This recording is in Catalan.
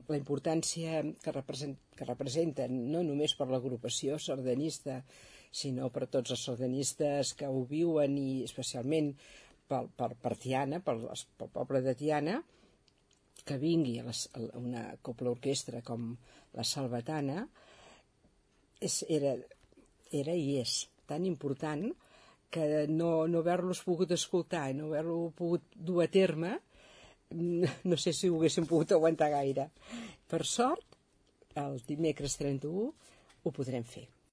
la importància que representen, no només per l'agrupació sardanista, sinó per tots els sardanistes que ho viuen, i especialment per Tiana, pel poble de Tiana, que vingui a una cobla orquestra com la Salvatana, era i és tan important que no haver-los pogut escoltar i no haver-lo pogut dur a terme, no sé si ho haguéssim pogut aguantar gaire. Per sort, el dimecres 31 ho podrem fer.